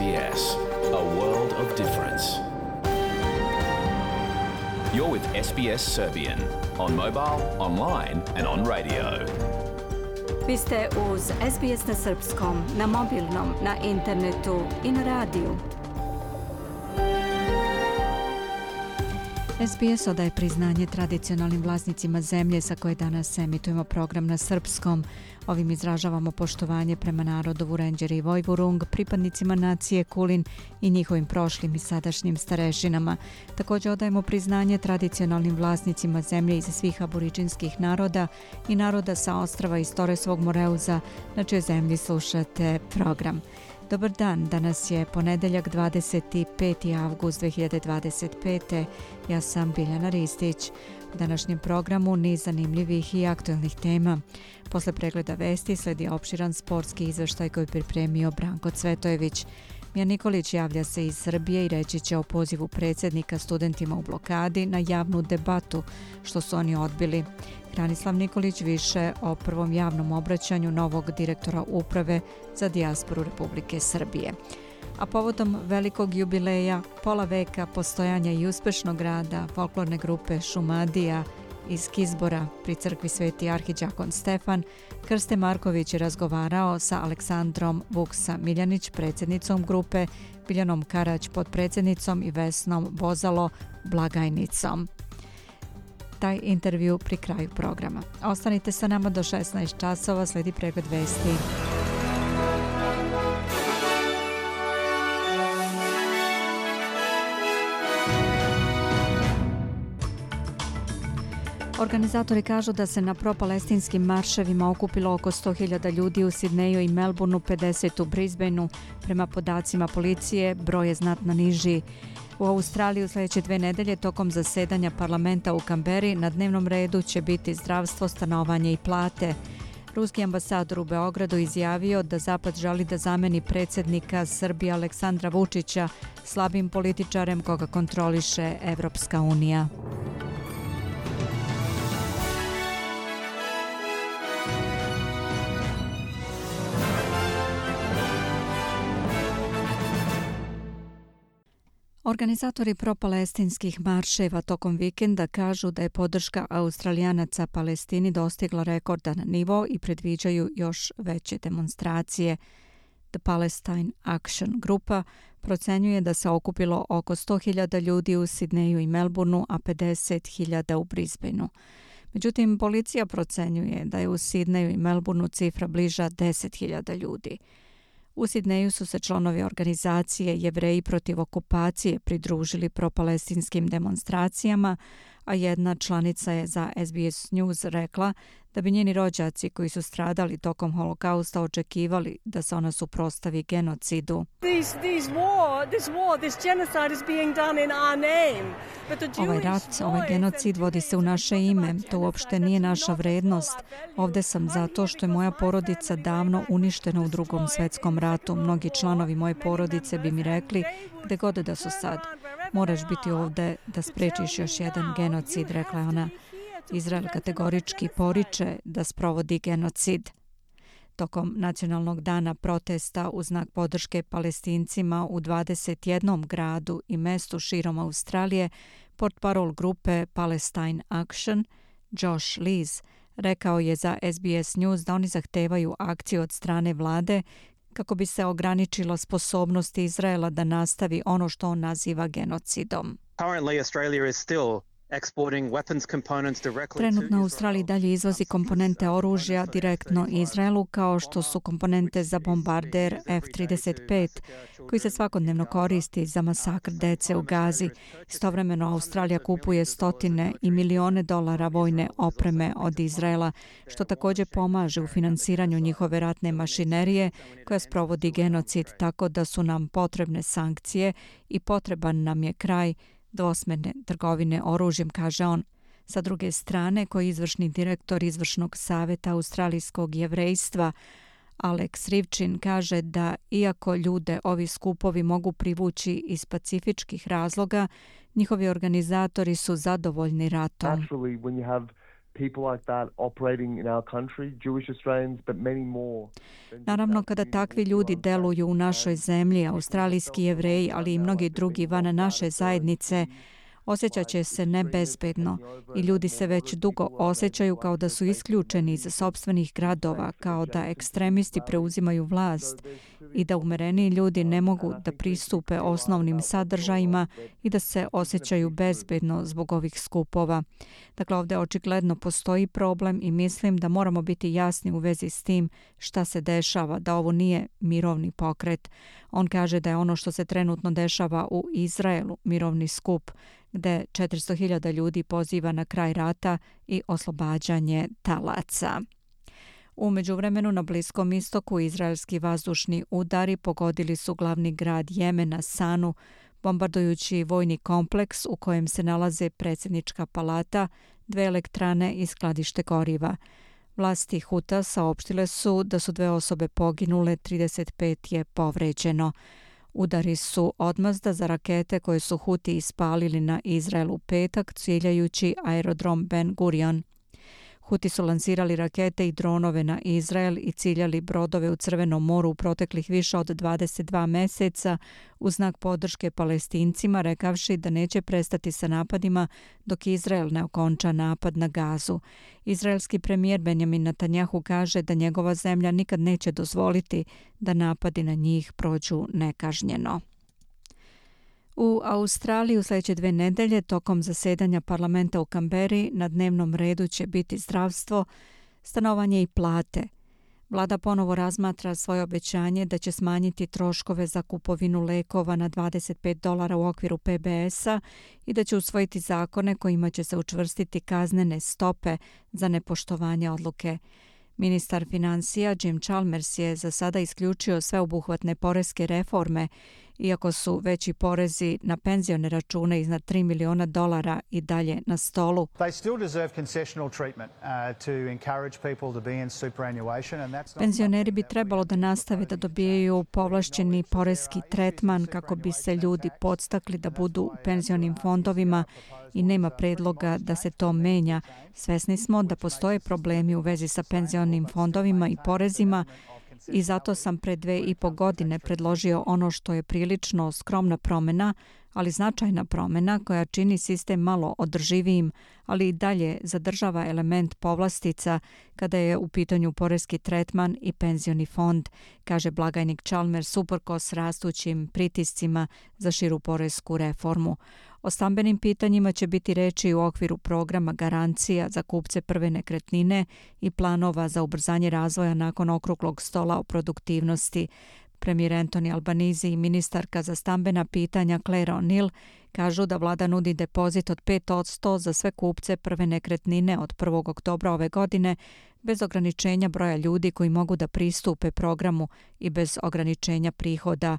SBS, a world of difference. You're with SBS Serbian on mobile, online and on radio. Vi ste uz SBS na srpskom, na mobilnom, na internetu i na radiju. SBS odaje priznanje tradicionalnim vlasnicima zemlje sa koje danas emitujemo program na srpskom. Ovim izražavamo poštovanje prema narodu Vurenđeri i Vojvurung, pripadnicima nacije Kulin i njihovim prošlim i sadašnjim starešinama. Također odajemo priznanje tradicionalnim vlasnicima zemlje iz svih aboriđinskih naroda i naroda sa ostrava iz Toresovog Moreuza, na čijoj zemlji slušate program. Dobar dan, danas je ponedeljak 25. avgust 2025. Ja sam Biljana Ristić. U današnjem programu niz zanimljivih i aktualnih tema. Posle pregleda vesti sledi opširan sportski izveštaj koji pripremio Branko Cvetojević. Mija Nikolić javlja se iz Srbije i reći će o pozivu predsjednika studentima u blokadi na javnu debatu, što su oni odbili. Hranislav Nikolić više o prvom javnom obraćanju novog direktora uprave za dijasporu Republike Srbije. A povodom velikog jubileja, pola veka postojanja i uspešnog rada folklorne grupe Šumadija iz Kizbora pri crkvi Sveti arhidžakon Stefan, Krste Marković je razgovarao sa Aleksandrom Vuksa Miljanić, predsjednicom grupe, Biljanom Karać, potpredsjednicom i Vesnom Bozalo, blagajnicom. Taj intervju pri kraju programa. Ostanite sa nama do 16 časova, sledi pregled vesti. Organizatori kažu da se na propalestinskim marševima okupilo oko 100.000 ljudi u Sidneju i Melbourneu, 50 u Brisbaneu. Prema podacima policije, broj je znatno niži. U Australiji u sljedeće 2 nedelje tokom zasedanja parlamenta u Kamberi na dnevnom redu će biti zdravstvo, stanovanje i plate. Ruski ambasador u Beogradu izjavio da Zapad želi da zameni predsjednika Srbije Aleksandra Vučića slabim političarem koga kontroliše Evropska unija. Organizatori propalestinskih marševa tokom vikenda kažu da je podrška Australijanaca Palestini dostigla rekordan nivo i predviđaju još veće demonstracije. The Palestine Action grupa procenjuje da se okupilo oko 100.000 ljudi u Sidneju i Melbourneu, a 50.000 u Brisbaneu. Međutim, policija procenjuje da je u Sidneju i Melbourneu cifra bliža 10.000 ljudi. U Sidneju su se članovi organizacije Jevreji protiv okupacije pridružili propalestinskim demonstracijama, a jedna članica je za SBS News rekla da bi njeni rođaci koji su stradali tokom holokausta očekivali da se ona suprotstavi genocidu. Ovaj rat, ovaj genocid vodi se u naše ime, to uopšte nije naša vrednost. Ovde sam zato što je moja porodica davno uništena u Drugom svjetskom ratu. Mnogi članovi moje porodice bi mi rekli gde god da su sad. Moraš biti ovde da sprečiš još jedan genocid, rekla je ona. Izrael kategorički poriče da sprovodi genocid. Tokom nacionalnog dana protesta u znak podrške Palestincima u 21 gradu i mestu širom Australije, portparol grupe Palestine Action, Josh Lees, rekao je za SBS News da oni zahtevaju akciju od strane vlade kako bi se ograničilo sposobnost Izraela da nastavi ono što on naziva genocidom. Trenutno u Australiji dalje izvozi komponente oružja direktno Izraelu, kao što su komponente za bombarder F-35, koji se svakodnevno koristi za masakr dece u Gazi. Istovremeno Australija kupuje stotine i milijone dolara vojne opreme od Izraela, što također pomaže u finansiranju njihove ratne mašinerije koja sprovodi genocid, tako da su nam potrebne sankcije i potreban nam je kraj dvosmerne trgovine oružjem, kaže on. Sa druge strane, koji izvršni direktor izvršnog savjeta australijskog jevrejstva Alex Rivčin kaže da iako ljude ovi skupovi mogu privući iz pacifičkih razloga, njihovi organizatori su zadovoljni ratom. people like that operating in our country, Jewish Australians, but many more. Naravno, kada takvi ljudi deluju u našoj zemlji, australijski Jevreji, ali i mnogi drugi van naše zajednice, osjećat će se nebezbedno i ljudi se već dugo osjećaju kao da su isključeni iz sopstvenih gradova, kao da ekstremisti preuzimaju vlast i da umereniji ljudi ne mogu da pristupe osnovnim sadržajima i da se osjećaju bezbedno zbog ovih skupova. Dakle, ovdje očigledno postoji problem i mislim da moramo biti jasni u vezi s tim šta se dešava, da ovo nije mirovni pokret. On kaže da je ono što se trenutno dešava u Izraelu mirovni skup, gde 400.000 ljudi poziva na kraj rata i oslobađanje talaca. U međuvremenu na Bliskom istoku izraelski vazdušni udari pogodili su glavni grad Jemena Sanu, bombardujući vojni kompleks u kojem se nalaze predsjednička palata, 2 elektrane i skladište goriva. Vlasti Huta saopštile su da su 2 osobe poginule, 35 je povređeno. Udari su odmazda za rakete koje su Huti ispalili na Izrael u petak, ciljajući aerodrom Ben Gurion. Huti su lansirali rakete i dronove na Izrael i ciljali brodove u Crvenom moru u proteklih više od 22 meseca u znak podrške Palestincima, rekavši da neće prestati sa napadima dok Izrael ne okonča napad na Gazu. Izraelski premijer Benjamin Netanjahu kaže da njegova zemlja nikad neće dozvoliti da napadi na njih prođu nekažnjeno. U Australiji u sljedeće 2 nedelje tokom zasedanja parlamenta u Kamberi na dnevnom redu će biti zdravstvo, stanovanje i plate. Vlada ponovo razmatra svoje obećanje da će smanjiti troškove za kupovinu lekova na $25 u okviru PBS-a i da će usvojiti zakone kojima će se učvrstiti kaznene stope za nepoštovanje odluke. Ministar financija Jim Chalmers je za sada isključio sveobuhvatne poreske reforme, iako su veći porezi na penzione račune iznad $3 miliona i dalje na stolu. Penzioneri bi trebalo da nastave da dobijaju povlašćeni poreski tretman kako bi se ljudi podstakli da budu u penzionim fondovima i nema predloga da se to menja. Svesni smo da postoje problemi u vezi sa penzionim fondovima i porezima i zato sam pre 2,5 godine predložio ono što je prilično skromna promjena, ali značajna promjena koja čini sistem malo održivijim, ali i dalje zadržava element povlastica kada je u pitanju poreski tretman i penzioni fond, kaže blagajnik Chalmers uprkos rastućim pritiscima za širu poresku reformu. O stambenim pitanjima će biti reči u okviru programa garancija za kupce prve nekretnine i planova za ubrzanje razvoja nakon okruglog stola o produktivnosti. Premijer Anthony Albanese i ministarka za stambena pitanja Claire O'Neill kažu da vlada nudi depozit od 5% za sve kupce prve nekretnine od 1. oktobra ove godine bez ograničenja broja ljudi koji mogu da pristupe programu i bez ograničenja prihoda.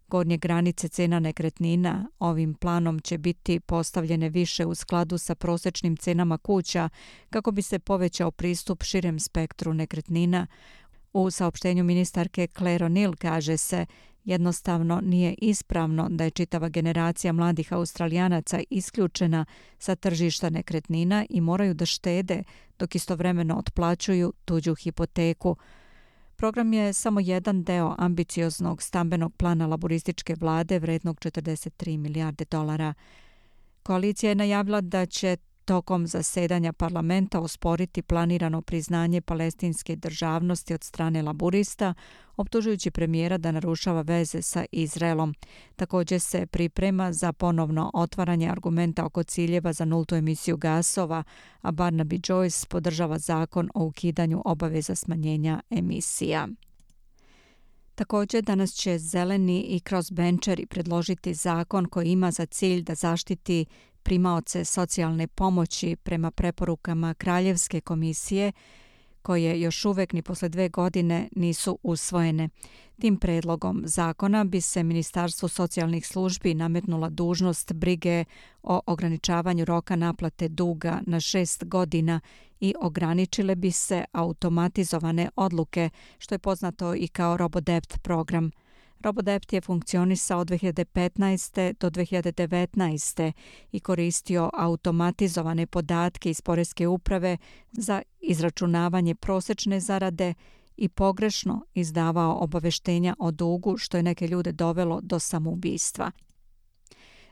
Gornje granice cena nekretnina ovim planom će biti postavljene više u skladu sa prosječnim cenama kuća kako bi se povećao pristup širem spektru nekretnina. U saopštenju ministarke Claire O'Neill kaže se jednostavno nije ispravno da je čitava generacija mladih Australijanaca isključena sa tržišta nekretnina i moraju da štede dok istovremeno otplaćuju tuđu hipoteku. Program je samo jedan deo ambicioznog stambenog plana laborističke vlade vrednog $43 milijarde. Koalicija je najavila da će tokom zasedanja parlamenta osporiti planirano priznanje palestinske državnosti od strane laburista, optužujući premijera da narušava veze sa Izraelom. Također se priprema za ponovno otvaranje argumenta oko ciljeva za nultu emisiju gasova, a Barnaby Joyce podržava zakon o ukidanju obaveza smanjenja emisija. Također danas će zeleni i crossbencheri predložiti zakon koji ima za cilj da zaštiti primaoce socijalne pomoći prema preporukama Kraljevske komisije, koje još uvek ni posle 2 godine nisu usvojene. Tim predlogom zakona bi se Ministarstvu socijalnih službi nametnula dužnost brige o ograničavanju roka naplate duga na 6 godina i ograničile bi se automatizovane odluke, što je poznato i kao RoboDebt program. RoboDept je funkcionisao od 2015. do 2019. i koristio automatizovane podatke iz Poreske uprave za izračunavanje prosečne zarade i pogrešno izdavao obaveštenja o dugu, što je neke ljude dovelo do samoubistva.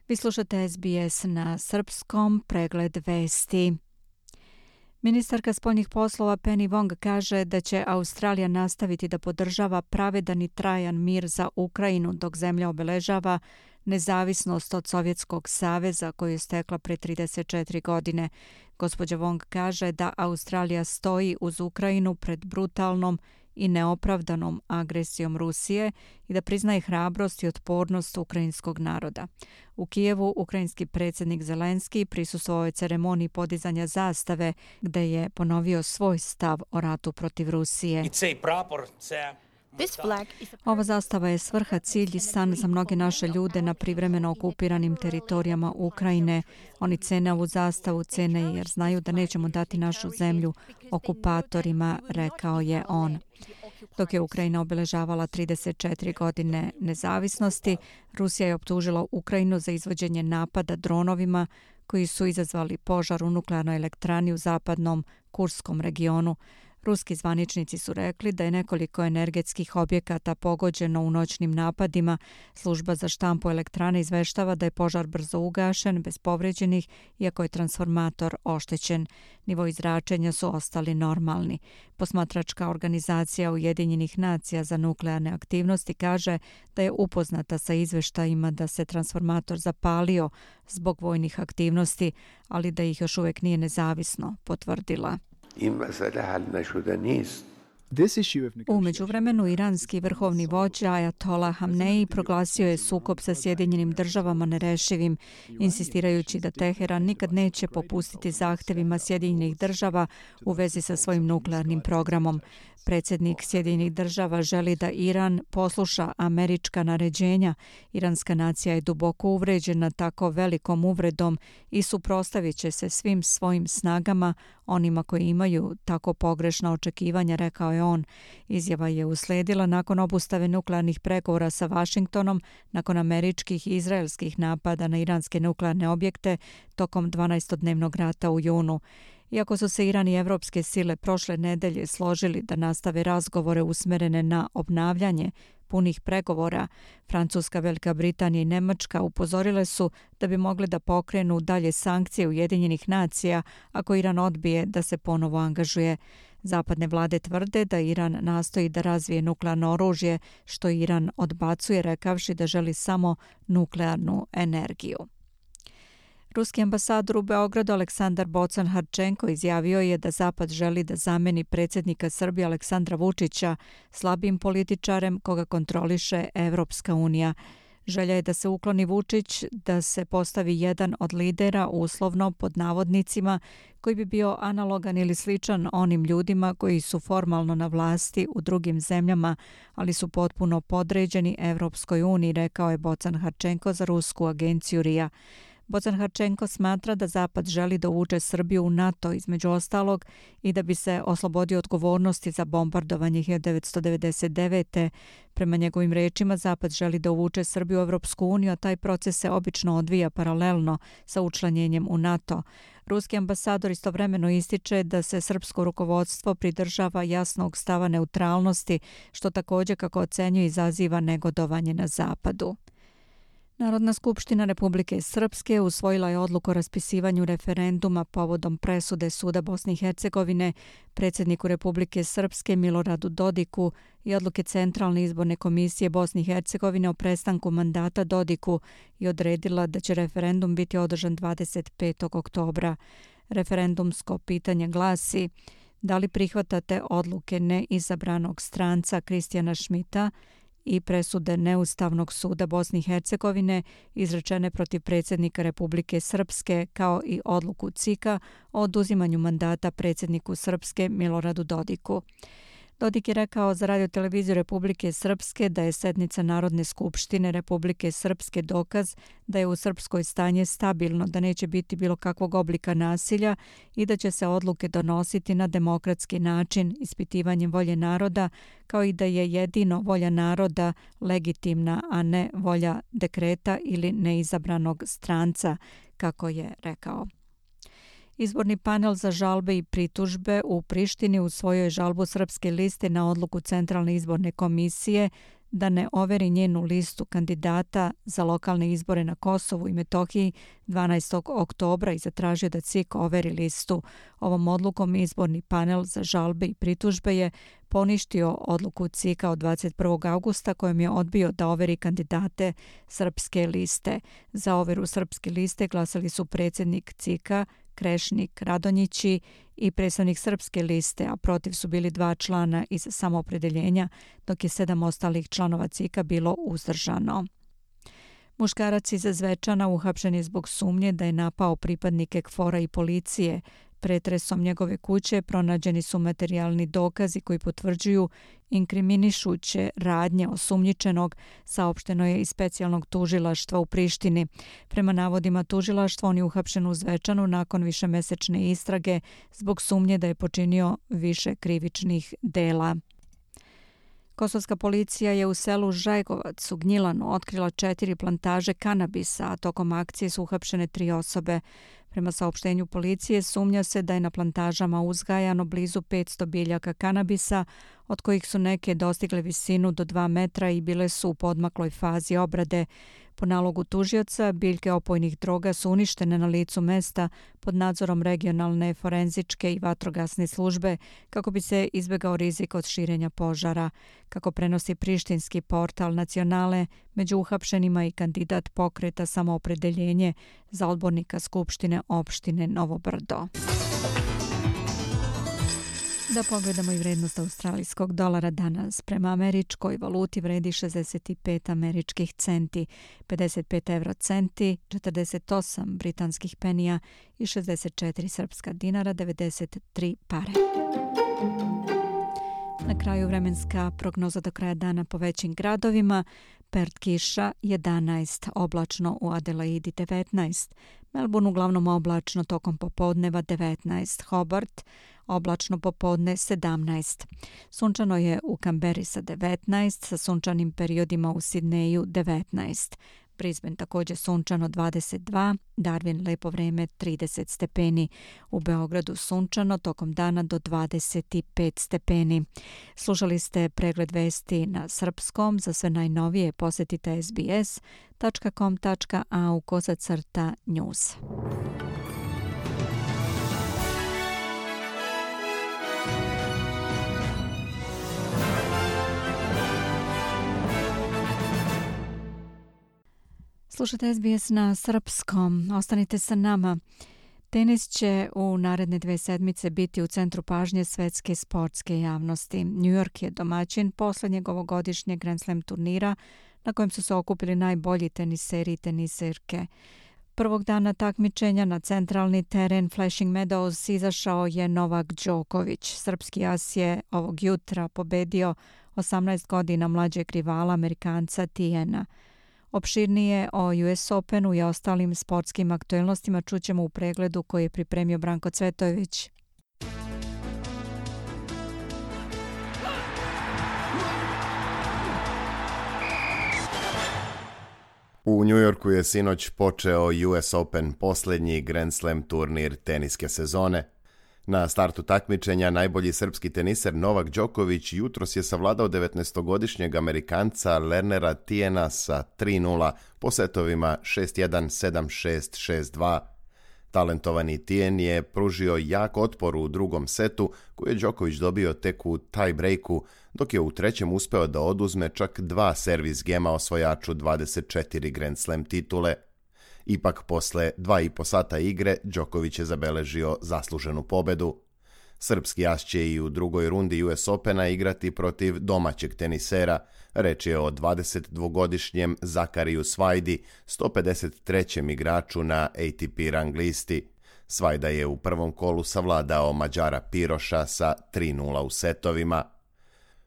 Vi slušate SBS na srpskom, pregled vesti. Ministarka spoljnih poslova Penny Wong kaže da će Australija nastaviti da podržava pravedan i trajan mir za Ukrajinu dok zemlja obeležava nezavisnost od Sovjetskog saveza koju je stekla pre 34 godine. Gospođa Wong kaže da Australija stoji uz Ukrajinu pred brutalnom i neopravdanom agresijom Rusije i da priznaje hrabrost i otpornost ukrajinskog naroda. U Kijevu ukrajinski predsjednik Zelenski prisustvovao je ceremoniji podizanja zastave gde je ponovio svoj stav o ratu protiv Rusije. Ova zastava je svrha, cilj i san za mnoge naše ljude na privremeno okupiranim teritorijama Ukrajine. Oni cene ovu zastavu, cene jer znaju da nećemo dati našu zemlju okupatorima, rekao je on. Dok je Ukrajina obeležavala 34 godine nezavisnosti, Rusija je optužila Ukrajinu za izvođenje napada dronovima koji su izazvali požar u nuklearnoj elektrani u zapadnom Kurskom regionu. Ruski zvaničnici su rekli da je nekoliko energetskih objekata pogođeno u noćnim napadima. Služba za štampu elektrane izveštava da je požar brzo ugašen, bez povređenih, iako je transformator oštećen. Nivoi zračenja su ostali normalni. Posmatračka organizacija Ujedinjenih nacija za nuklearne aktivnosti kaže da je upoznata sa izveštajima da se transformator zapalio zbog vojnih aktivnosti, ali da ih još uvijek nije nezavisno potvrdila. U međuvremenu iranski vrhovni vođa Ajatola Hamneji proglasio je sukob sa Sjedinjenim državama nerešivim, insistirajući da Teheran nikad neće popustiti zahtevima Sjedinjenih država u vezi sa svojim nuklearnim programom. Predsjednik Sjedinjenih država želi da Iran posluša američka naređenja. Iranska nacija je duboko uvređena tako velikom uvredom i suprotstavit će se svim svojim snagama, onima koji imaju tako pogrešna očekivanja, rekao je on. Izjava je usledila nakon obustave nuklearnih pregovora sa Vašingtonom, nakon američkih i izraelskih napada na iranske nuklearne objekte tokom 12-dnevnog rata u junu. Iako su se Iran i evropske sile prošle nedelje složili da nastave razgovore usmerene na obnavljanje punih pregovora, Francuska, Velika Britanija i Nemačka upozorile su da bi mogli da pokrenu dalje sankcije Ujedinjenih nacija ako Iran odbije da se ponovo angažuje. Zapadne vlade tvrde da Iran nastoji da razvije nuklearno oružje, što Iran odbacuje rekavši da želi samo nuklearnu energiju. Ruski ambasador u Beogradu Aleksandar Bocan-Harčenko izjavio je da Zapad želi da zameni predsjednika Srbije Aleksandra Vučića slabim političarem koga kontroliše Evropska unija. Želja je da se ukloni Vučić, da se postavi jedan od lidera, uslovno pod navodnicima, koji bi bio analogan ili sličan onim ljudima koji su formalno na vlasti u drugim zemljama, ali su potpuno podređeni Evropskoj uniji, rekao je Bocan-Harčenko za rusku agenciju RIA. Bocan-Harčenko smatra da Zapad želi da uvuče Srbiju u NATO između ostalog i da bi se oslobodio odgovornosti za bombardovanje 1999. Prema njegovim rečima, Zapad želi da uvuče Srbiju u Evropsku uniju, a taj proces se obično odvija paralelno sa učlanjenjem u NATO. Ruski ambasador istovremeno ističe da se srpsko rukovodstvo pridržava jasnog stava neutralnosti, što također, kako ocenjuje, izaziva negodovanje na Zapadu. Narodna skupština Republike Srpske usvojila je odluku o raspisivanju referenduma povodom presude Suda Bosne i Hercegovine predsjedniku Republike Srpske Miloradu Dodiku i odluke Centralne izborne komisije Bosne i Hercegovine o prestanku mandata Dodiku i odredila da će referendum biti održan 25. oktobra. Referendumsko pitanje glasi: da li prihvatate odluke neizabranog stranca Kristijana Šmita i presude Neustavnog suda Bosne i Hercegovine izrečene protiv predsjednika Republike Srpske, kao i odluku CIK-a o oduzimanju mandata predsjedniku Srpske Miloradu Dodiku. Dodik je rekao za Radio-televiziju Republike Srpske da je sednica Narodne skupštine Republike Srpske dokaz da je u Srpskoj stanje stabilno, da neće biti bilo kakvog oblika nasilja i da će se odluke donositi na demokratski način, ispitivanjem volje naroda, kao i da je jedino volja naroda legitimna, a ne volja dekreta ili neizabranog stranca, kako je rekao. Izborni panel za žalbe i pritužbe u Prištini usvojio je žalbu Srpske liste na odluku Centralne izborne komisije da ne overi njenu listu kandidata za lokalne izbore na Kosovu i Metohiji 12. oktobra i zatražio da CIK overi listu. Ovom odlukom izborni panel za žalbe i pritužbe je poništio odluku CIK-a od 21. augusta kojom je odbio da overi kandidate Srpske liste. Za overu Srpske liste glasali su predsjednik CIK-a Krešnik Radonjići i predstavnik Srpske liste, a protiv su bili 2 člana iz Samoopredeljenja, dok je 7 ostalih članova CIK-a bilo uzdržano. Muškarac iz Zvečana uhapšen je zbog sumnje da je napao pripadnike KFOR-a i policije. Pretresom njegove kuće pronađeni su materijalni dokazi koji potvrđuju inkriminišuće radnje osumnjičenog, saopšteno je iz specijalnog tužilaštva u Prištini. Prema navodima tužilaštva, on je uhapšen u Zvečanu nakon višemesečne istrage zbog sumnje da je počinio više krivičnih dela. Kosovska policija je u selu Žajgovac u Gnjilanu otkrila 4 plantaže kanabisa, a tokom akcije su uhapšene 3 osobe. Prema saopštenju policije sumnja se da je na plantažama uzgajano blizu 500 biljaka kanabisa, od kojih su neke dostigle visinu do 2 metra i bile su u podmakloj fazi obrade. Po nalogu tužioca, biljke opojnih droga su uništene na licu mesta pod nadzorom regionalne forenzičke i vatrogasne službe kako bi se izbjegao rizik od širenja požara. Kako prenosi prištinski portal Nacionale, među uhapšenima i kandidat pokreta Samoopredeljenje za odbornika Skupštine opštine Novo Brdo. Da pogledamo i vrednost australijskog dolara danas. Prema američkoj valuti vredi 65 američkih centi, 55 eurocenti, 48 britanskih penija i 64 srpska dinara, 93 pare. Na kraju vremenska prognoza do kraja dana po većim gradovima. Perth kiša 11, oblačno u Adelaidi 19, Melbourne uglavnom oblačno tokom popodneva 19, Hobart oblačno popodne 17. Sunčano je u Kamberi sa 19, sa sunčanim periodima u Sidneju 19. Brisbane također sunčano 22, Darwin lepo vreme 30 stepeni. U Beogradu sunčano tokom dana do 25 stepeni. Slušali ste pregled vesti na srpskom. Za sve najnovije posjetite sbs.com.au/news. Slušajte SBS na srpskom. Ostanite sa nama. Tenis će u naredne 2 sedmice biti u centru pažnje svetske sportske javnosti. New York je domaćin posljednjeg ovogodišnjeg Grand Slam turnira na kojem su se okupili najbolji teniseri i teniserke. Prvog dana takmičenja na centralni teren Flushing Meadows izašao je Novak Đoković. Srpski as je ovog jutra pobedio 18 godina mlađeg rivala Amerikanca Tijena. Opširnije o US Openu i ostalim sportskim aktuelnostima čućemo u pregledu koji je pripremio Branko Cvetojević. U New Yorku je sinoć počeo US Open, posljednji Grand Slam turnir teniske sezone. Na startu takmičenja najbolji srpski teniser Novak Đoković jutros je savladao 19-godišnjeg Amerikanca Lernera Tijena sa 3:0 po setovima 6:1, 7:6, 6:2. Talentovani Tijen je pružio jak otpor u drugom setu koji je Đoković dobio tek u tie-breaku, dok je u trećem uspeo da oduzme čak 2 servis gema osvojaču 24 Grand Slam titule. Ipak posle 2,5 sata igre Đoković je zabeležio zasluženu pobedu. Srpski as će i u drugoj rundi US Opena igrati protiv domaćeg tenisera. Reč je o 22-godišnjem Zakariju Svajdi, 153. igraču na ATP rang listi. Svajda je u prvom kolu savladao Mađara Piroša sa 3:0 u setovima.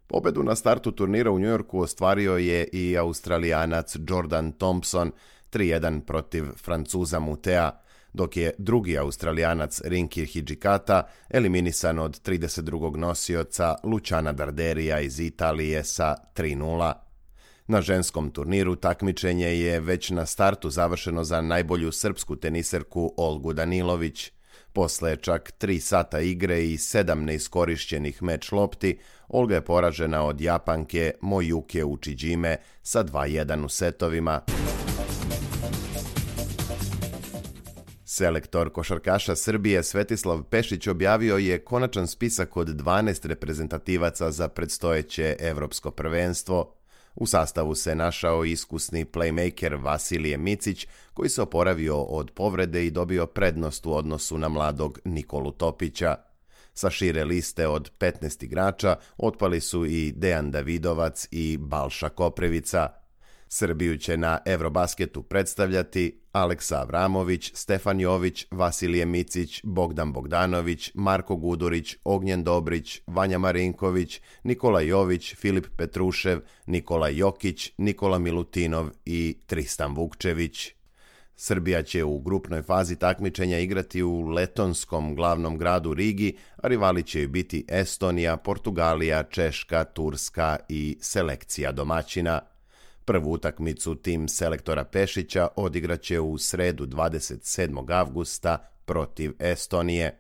Pobedu na startu turnira u Njujorku ostvario je i Australijanac Jordan Thompson 3-1 protiv Francuza Mutea, dok je drugi Australijanac Rinki Hijikata eliminisan od 32. nosioca Luciana Darderija iz Italije sa 3-0. Na ženskom turniru takmičenje je već na startu završeno za najbolju srpsku teniserku Olgu Danilović. Posle čak 3 sata igre i 7 neiskorišćenih meč lopti, Olga je poražena od Japanke Mojuke Uchijime sa 2-1 u setovima. Selektor košarkaša Srbije Svetislav Pešić objavio je konačan spisak od 12 reprezentativaca za predstojeće evropsko prvenstvo. U sastavu se našao iskusni playmaker Vasilije Micić, koji se oporavio od povrede i dobio prednost u odnosu na mladog Nikolu Topića. Sa šire liste od 15 igrača otpali su i Dejan Davidovac i Balša Koprivica. Srbiju će na Eurobasketu predstavljati Aleksa Avramović, Stefan Jović, Vasilije Micić, Bogdan Bogdanović, Marko Gudurić, Ognjen Dobrić, Vanja Marinković, Nikola Jović, Filip Petrušev, Nikola Jokić, Nikola Milutinov i Tristan Vukčević. Srbija će u grupnoj fazi takmičenja igrati u letonskom glavnom gradu Rigi, a rivali će joj biti Estonija, Portugalija, Češka, Turska i selekcija domaćina. Prvu utakmicu tim selektora Pešića odigraće u sredu 27. avgusta protiv Estonije.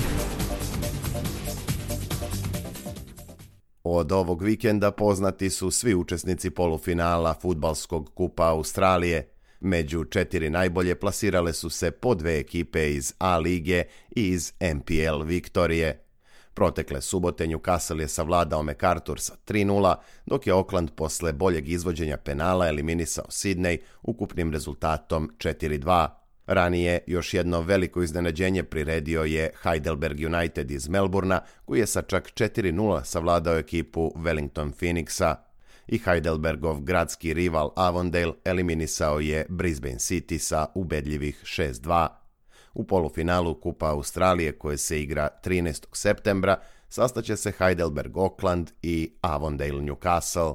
Od ovog vikenda poznati su svi učesnici polufinala fudbalskog kupa Australije. Među 4 najbolje plasirale su se po 2 ekipe iz A lige i iz NPL Viktorije. Protekle subote Newcastle je savladao MacArthur sa 3-0, dok je Auckland posle boljeg izvođenja penala eliminisao Sydney ukupnim rezultatom 4-2. Ranije još jedno veliko iznenađenje priredio je Heidelberg United iz Melbourna, koji je sa čak 4-0 savladao ekipu Wellington Phoenixa. I Heidelbergov gradski rival Avondale eliminisao je Brisbane City sa ubedljivih 6-2. U polufinalu Kupa Australije, koje se igra 13. septembra, sastaće se Heidelberg Auckland i Avondale Newcastle.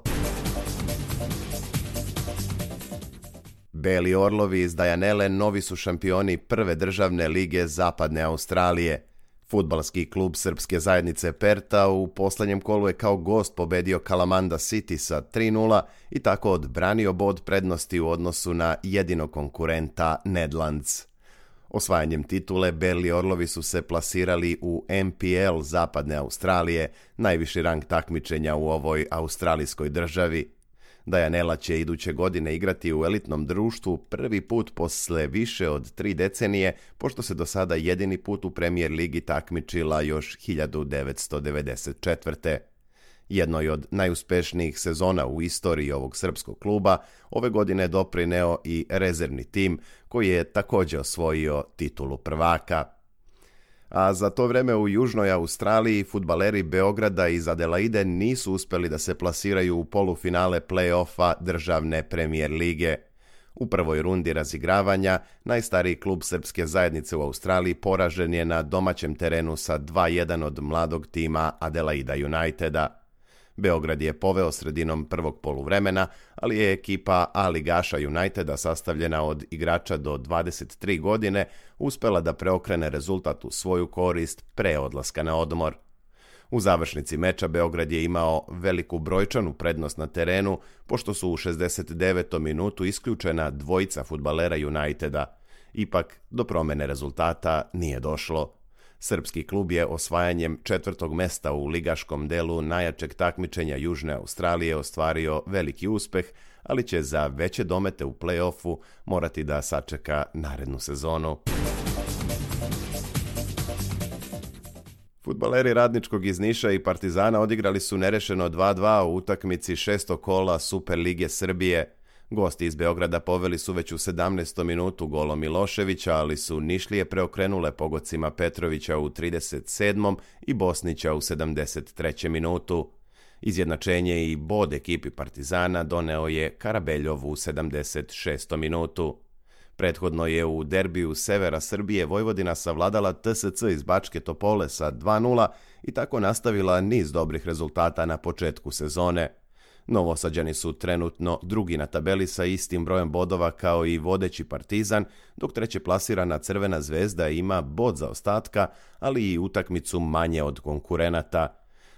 Beli orlovi iz Dianele novi su šampioni prve državne lige Zapadne Australije. Fudbalski klub srpske zajednice Perta u posljednjem kolu je kao gost pobedio Kalamanda City sa 3-0 i tako odbranio bod prednosti u odnosu na jedinog konkurenta Nedlands. Osvajanjem titule Beli orlovi su se plasirali u NPL Zapadne Australije, najviši rang takmičenja u ovoj australijskoj državi. Dianela će iduće godine igrati u elitnom društvu prvi put posle više od 3 decenije, pošto se do sada jedini put u Premier ligi takmičila još 1994. Jednoj od najuspešnijih sezona u istoriji ovog srpskog kluba ove godine doprineo i rezervni tim, koji je također osvojio titulu prvaka. A za to vreme u Južnoj Australiji fudbaleri Beograda iz Adelaide nisu uspeli da se plasiraju u polufinale play-offa državne Premier lige. U prvoj rundi razigravanja najstariji klub srpske zajednice u Australiji poražen je na domaćem terenu sa 2-1 od mladog tima Adelaida Uniteda. Beograd je poveo sredinom prvog poluvremena, ali je ekipa A-ligaša Uniteda sastavljena od igrača do 23 godine uspela da preokrene rezultat u svoju korist pre odlaska na odmor. U završnici meča Beograd je imao veliku brojčanu prednost na terenu, pošto su u 69. minutu isključena dvojica fudbalera Uniteda. Ipak, do promene rezultata nije došlo. Srpski klub je osvajanjem 4. mesta u ligaškom delu najjačeg takmičenja Južne Australije ostvario veliki uspeh, ali će za veće domete u play-offu morati da sačeka narednu sezonu. Fudbaleri Radničkog iz Niša i Partizana odigrali su nerešeno 2-2 u utakmici 6. kola Superlige Srbije. Gosti iz Beograda poveli su već u 17. minutu golom Miloševića, ali su Nišlije preokrenule pogodcima Petrovića u 37. i Bosnića u 73. minutu. Izjednačenje i bod ekipi Partizana doneo je Karabeljov u 76. minutu. Prethodno je u derbiju severa Srbije Vojvodina savladala TSC iz Bačke Topole sa 2:0 i tako nastavila niz dobrih rezultata na početku sezone. Novosađani su trenutno drugi na tabeli sa istim brojem bodova kao i vodeći Partizan, dok treće plasirana Crvena Zvezda ima bod zaostatka, ali i utakmicu manje od konkurenata.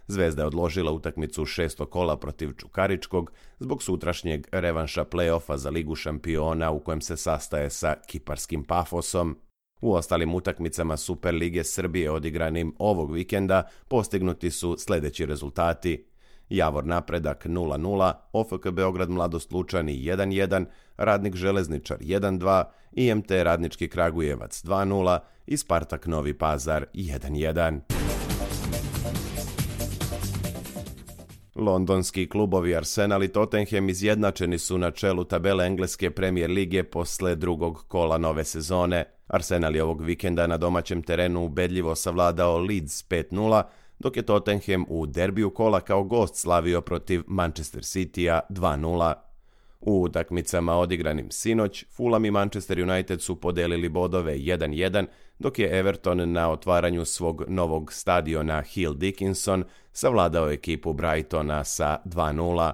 Zvezda je odložila utakmicu 6. kola protiv Čukaričkog zbog sutrašnjeg revanša play-offa za Ligu šampiona u kojem se sastaje sa kiparskim Pafosom. U ostalim utakmicama Super Lige Srbije odigranim ovog vikenda postignuti su sljedeći rezultati: Javor Napredak 0:0, OFK Beograd Mladost Lučani 1:1, Radnik Železničar 1:2, IMT Radnički Kragujevac 2:0 i Spartak Novi Pazar 1:1. Londonski klubovi Arsenal i Tottenham izjednačeni su na čelu tabele engleske Premier lige posle drugog kola nove sezone. Arsenal je ovog vikenda na domaćem terenu ubedljivo savladao Leeds 5:0, dok je Tottenham u derbiju kola kao gost slavio protiv Manchester Citya 2:0. U utakmicama odigranim sinoć, Fulham i Manchester United su podelili bodove 1:1, dok je Everton na otvaranju svog novog stadiona Hill Dickinson savladao ekipu Brightona sa 2:0.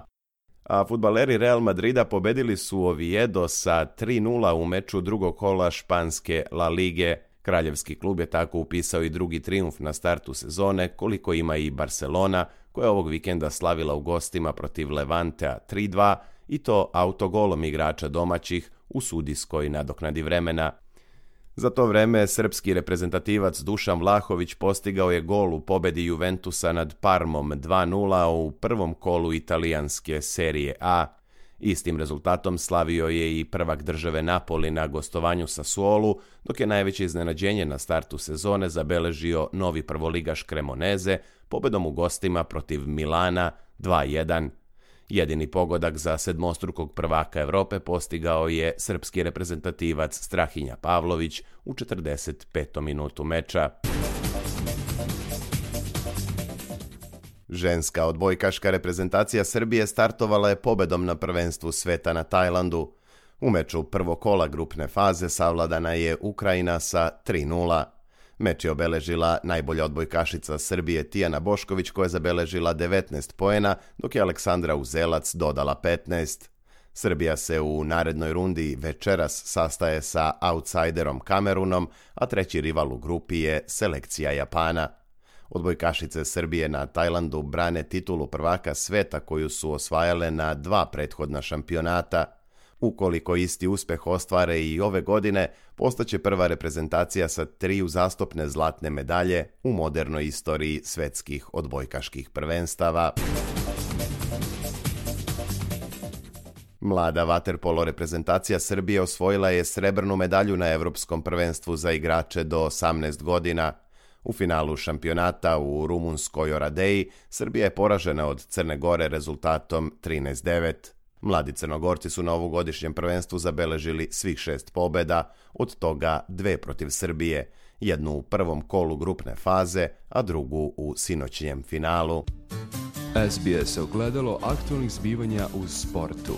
A fudbaleri Real Madrida pobedili su Oviedo sa 3:0 u meču drugog kola španske La Lige. Kraljevski klub je tako upisao i drugi trijumf na startu sezone, koliko ima i Barcelona, koja je ovog vikenda slavila u gostima protiv Levantea 3:2 i to autogolom igrača domaćih u sudijskoj nadoknadi vremena. Za to vreme srpski reprezentativac Dušan Vlahović postigao je gol u pobedi Juventusa nad Parmom 2:0 u prvom kolu italijanske serije A. Istim rezultatom slavio je i prvak države Napoli na gostovanju Sassuolu, dok je najveće iznenađenje na startu sezone zabeležio novi prvoligaš Cremoneze pobedom u gostima protiv Milana 2:1. Jedini pogodak za sedmostrukog prvaka Evrope postigao je srpski reprezentativac Strahinja Pavlović u 45. minutu meča. Ženska odbojkaška reprezentacija Srbije startovala je pobedom na prvenstvu sveta na Tajlandu. U meču prvog kola grupne faze savladana je Ukrajina sa 3:0. Meč je obeležila najbolja odbojkašica Srbije Tijana Bošković koja je zabeležila 19 poena, dok je Aleksandra Uzelac dodala 15. Srbija se u narednoj rundi večeras sastaje sa outsiderom Kamerunom, a treći rival u grupi je selekcija Japana. Odbojkašice Srbije na Tajlandu brane titulu prvaka sveta koju su osvajale na 2 prethodna šampionata. Ukoliko isti uspeh ostvare i ove godine, postaće prva reprezentacija sa 3 uzastopne zlatne medalje u modernoj istoriji svetskih odbojkaških prvenstava. Mlada vaterpolo reprezentacija Srbije osvojila je srebrnu medalju na Evropskom prvenstvu za igrače do 18 godina. U finalu šampionata u rumunskoj Oradeji Srbija je poražena od Crne Gore rezultatom 13:9. Mladi Crnogorci su na ovogodišnjem prvenstvu zabeležili svih 6 pobjeda, od toga 2 protiv Srbije, jednu u prvom kolu grupne faze, a drugu u sinoćnjem finalu. SBS ogledalo aktualnih zbivanja u sportu.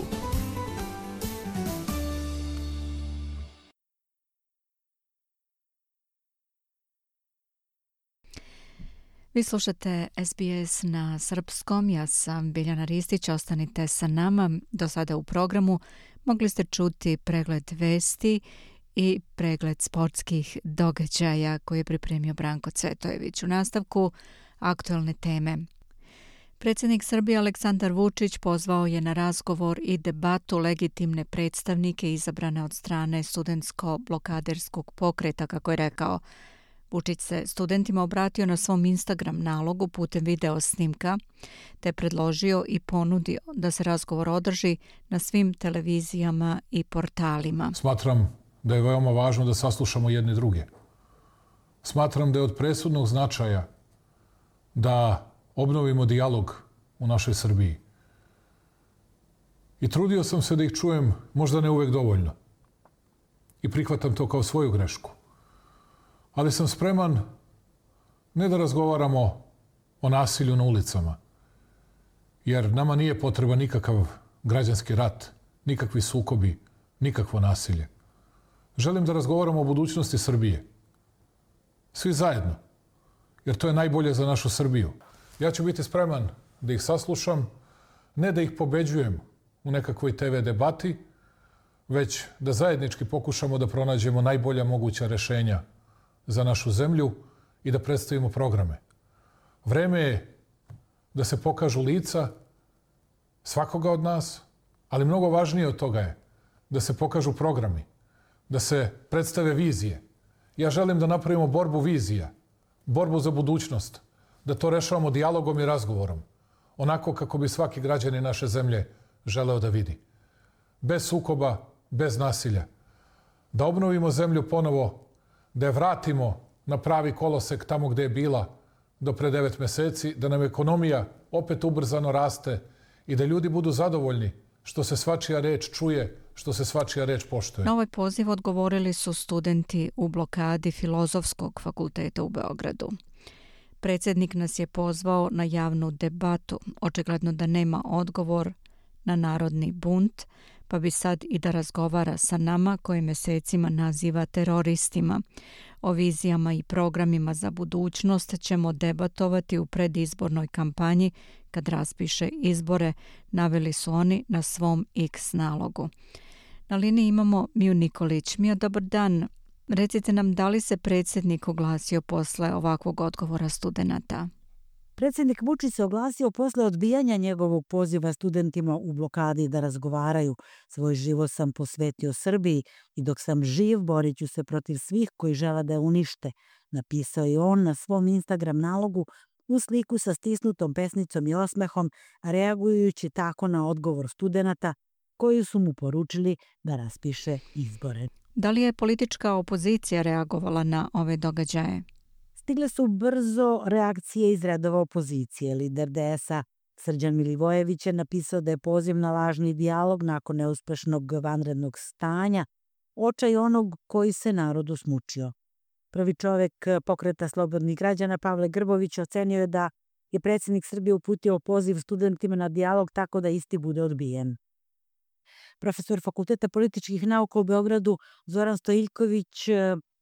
Vi slušate SBS na srpskom, ja sam Biljana Ristić, ostanite sa nama. Do sada u programu mogli ste čuti pregled vesti i pregled sportskih događaja koje je pripremio Branko Cvetojević. U nastavku aktualne teme. Predsjednik Srbije Aleksandar Vučić pozvao je na razgovor i debatu legitimne predstavnike izabrane od strane studentsko-blokaderskog pokreta, kako je rekao. Vučić se studentima obratio na svom Instagram nalogu putem video snimka, te predložio i ponudio da se razgovor održi na svim televizijama i portalima. Smatram da je veoma važno da saslušamo jedni druge. Smatram da je od presudnog značaja da obnovimo dijalog u našoj Srbiji. I trudio sam se da ih čujem, možda ne uvek dovoljno. I prihvatam to kao svoju grešku. Ali sam spreman ne da razgovaramo o nasilju na ulicama, jer nama nije potreban nikakav građanski rat, nikakvi sukobi, nikakvo nasilje. Želim da razgovaramo o budućnosti Srbije. Svi zajedno. Jer to je najbolje za našu Srbiju. Ja ću biti spreman da ih saslušam, ne da ih pobeđujem u nekakvoj TV debati, već da zajednički pokušamo da pronađemo najbolja moguća rešenja za našu zemlju i da predstavimo programe. Vreme je da se pokažu lica svakoga od nas, ali mnogo važnije od toga je da se pokažu programi, da se predstave vizije. Ja želim da napravimo borbu vizija, borbu za budućnost, da to rešavamo dijalogom i razgovorom, onako kako bi svaki građanin naše zemlje želeo da vidi. Bez sukoba, bez nasilja. Da obnovimo zemlju ponovo, da je vratimo na pravi kolosek tamo gde je bila do pre 9 meseci, da nam ekonomija opet ubrzano raste i da ljudi budu zadovoljni što se svačija reč čuje, što se svačija reč poštuje. Na ovaj poziv odgovorili su studenti u blokadi Filozofskog fakulteta u Beogradu. Predsjednik nas je pozvao na javnu debatu, očigledno da nema odgovor na narodni bunt, pa bi sad i da razgovara sa nama koje mesecima naziva teroristima. O vizijama i programima za budućnost ćemo debatovati u predizbornoj kampanji kad raspiše izbore, naveli su oni na svom X nalogu. Na liniji imamo Miju Nikolić. Mija, dobar dan. Recite nam, da li se predsjednik oglasio posle ovakvog odgovora studenata? Predsjednik Vučić se oglasio posle odbijanja njegovog poziva studentima u blokadi da razgovaraju. Svoj život sam posvetio Srbiji i dok sam živ borit ću se protiv svih koji žele da je unište, napisao je on na svom Instagram nalogu u sliku sa stisnutom pesnicom i osmehom, reagujući tako na odgovor studenata koji su mu poručili da raspiše izbore. Da li je politička opozicija reagovala na ove događaje? Stigle su brzo reakcije iz redova opozicije. Lider DS-a Srđan Milivojević je napisao da je poziv na lažni dijalog nakon neuspešnog vanrednog stanja očaj onog koji se narodu smučio. Prvi čovek Pokreta slobodnih građana Pavle Grbović ocenio je da je predsjednik Srbije uputio poziv studentima na dijalog tako da isti bude odbijen. Profesor Fakulteta političkih nauka u Beogradu Zoran Stojiljković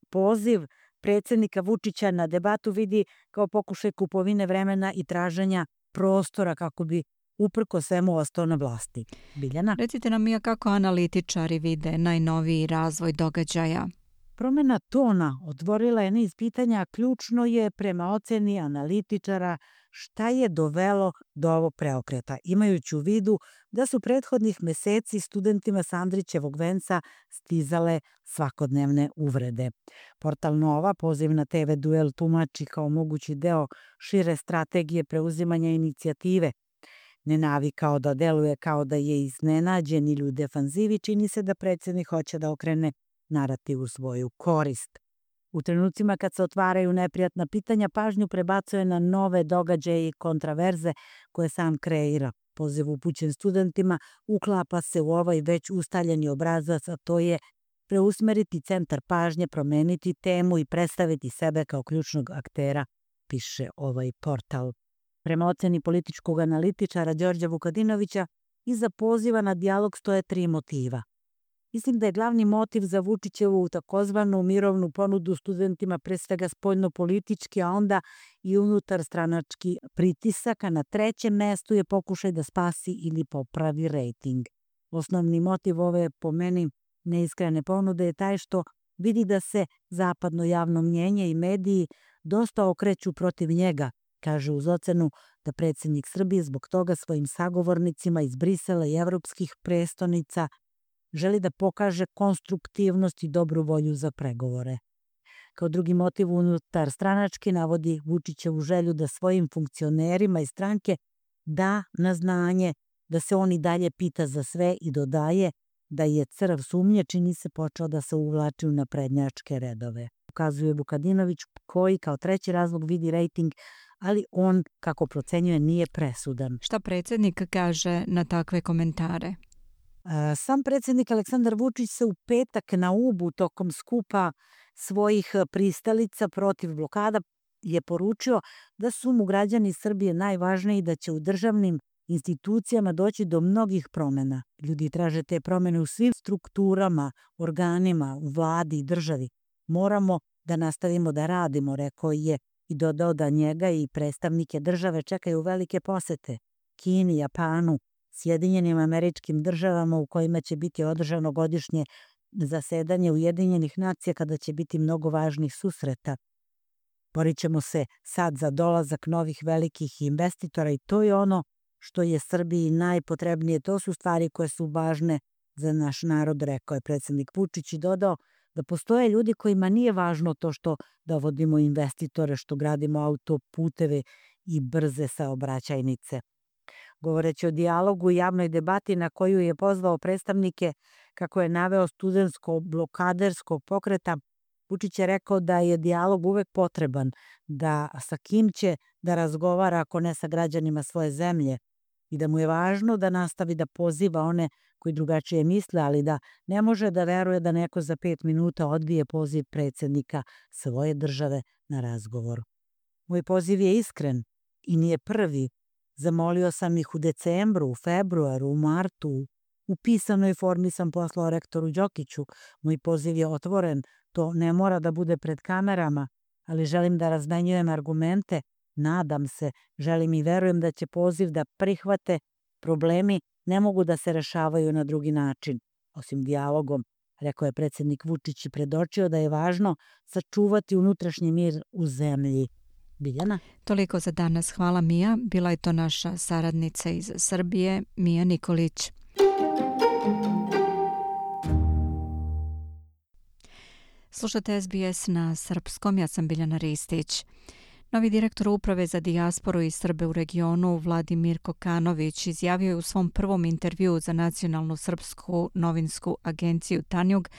poziv predsjednika Vučića na debatu vidi kao pokušaj kupovine vremena i traženja prostora kako bi uprko svemu ostao na vlasti. Biljana? Recite nam, Mija, kako analitičari vide najnoviji razvoj događaja? Promjena tona otvorila je niz pitanja, ključno je prema oceni analitičara šta je dovelo do ovog preokreta, imajući u vidu da su prethodnih meseci studentima sa Andrićevog venca stizale svakodnevne uvrede. Portal Nova poziv na TV duel tumači kao mogući deo šire strategije preuzimanja inicijative. Ne navikao da deluje kao da je iznenađen ili u defanzivi, čini se da predsjednik hoće da okrene narativ u svoju korist. U trenucima kad se otvaraju neprijatna pitanja, pažnju prebacuje na nove događaje i kontraverze koje sam kreira. Poziv upućen studentima uklapa se u ovaj već ustaljeni obrazac, a to je preusmeriti centar pažnje, promeniti temu i predstaviti sebe kao ključnog aktera, piše ovaj portal. Prema oceni političkog analitičara Đorđa Vukadinovića, iza poziva na dijalog stoje 3 motiva. Mislim da je glavni motiv za Vučićevu takozvanu mirovnu ponudu studentima pre svega spoljno-politički, a onda i unutar stranački pritisak, a na 3. mestu je pokušaj da spasi ili popravi rejting. Osnovni motiv ove, po meni, neiskrene ponude je taj što vidi da se zapadno javno mnjenje i mediji dosta okreću protiv njega, kaže uz ocenu da predsjednik Srbije zbog toga svojim sagovornicima iz Brisela i evropskih prestonica želi da pokaže konstruktivnost i dobru volju za pregovore. Kao drugi motiv unutar stranački navodi Vučićevu želju da svojim funkcionerima iz stranke da na znanje da se on i dalje pita za sve i dodaje da je crv sumnje čini se počeo da se uvlači u naprednjačke redove. Ukazuje Vukadinović koji kao 3. razlog vidi rejting, ali on, kako procenjuje, nije presudan. Šta predsjednik kaže na takve komentare? Sam predsjednik Aleksandar Vučić se u petak na Ubu tokom skupa svojih pristalica protiv blokada je poručio da su mu građani Srbije najvažniji, da će u državnim institucijama doći do mnogih promjena. Ljudi traže te promjene u svim strukturama, organima, u vladi i državi. Moramo da nastavimo da radimo, rekao je i dodao da njega i predstavnike države čekaju velike posete Kini, Japanu, Sjedinjenim Američkim Državama u kojima će biti održano godišnje zasedanje Ujedinjenih nacija kada će biti mnogo važnih susreta. Borit ćemo se sad za dolazak novih velikih investitora i to je ono što je Srbiji najpotrebnije. To su stvari koje su važne za naš narod, rekao je predsjednik Vučić i dodao da postoje ljudi kojima nije važno to što dovodimo investitore, što gradimo autoputeve i brze saobraćajnice. Govoreći o dijalogu i javnoj debati na koju je pozvao predstavnike, kako je naveo studentsko-blokaderskog pokreta, Vučić je rekao da je dijalog uvek potreban, da sa kim će da razgovara ako ne sa građanima svoje zemlje i da mu je važno da nastavi da poziva one koji drugačije misle, ali da ne može da veruje da neko za 5 minuta odbije poziv predsjednika svoje države na razgovor. Moj poziv je iskren i nije prvi. Zamolio sam ih u decembru, u februaru, u martu. U pisanoj formi sam poslao rektoru Đokiću. Moj poziv je otvoren. To ne mora da bude pred kamerama, ali želim da razmenjujem argumente. Nadam se, želim i verujem da će poziv da prihvate. Problemi ne mogu da se rešavaju na drugi način, osim dijalogom, rekao je predsjednik Vučić i predočio da je važno sačuvati unutrašnji mir u zemlji. Biljana? Toliko za danas. Hvala Mija. Bila je to naša saradnica iz Srbije, Mija Nikolić. Slušate SBS na srpskom, ja sam Biljana Ristić. Novi direktor Uprave za dijasporu i Srbe u regionu, Vladimir Kokanović, izjavio je u svom prvom intervjuu za nacionalnu srpsku novinsku agenciju Tanjug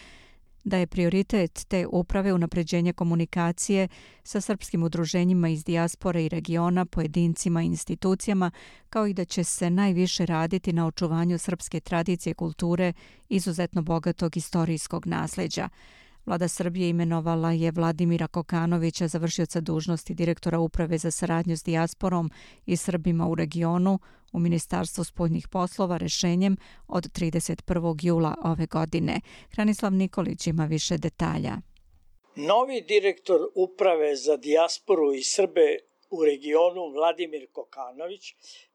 da je prioritet te uprave unapređenje komunikacije sa srpskim udruženjima iz dijaspore i regiona, pojedincima i institucijama, kao i da će se najviše raditi na očuvanju srpske tradicije i kulture, izuzetno bogatog istorijskog nasljeđa. Vlada Srbije imenovala je Vladimira Kokanovića za vršioca dužnosti direktora Uprave za saradnju s dijasporom i Srbima u regionu u Ministarstvu spoljnih poslova rešenjem od 31. jula ove godine. Hranislav Nikolić ima više detalja. Novi direktor Uprave za dijasporu i Srbe u regionu Vladimir Kokanović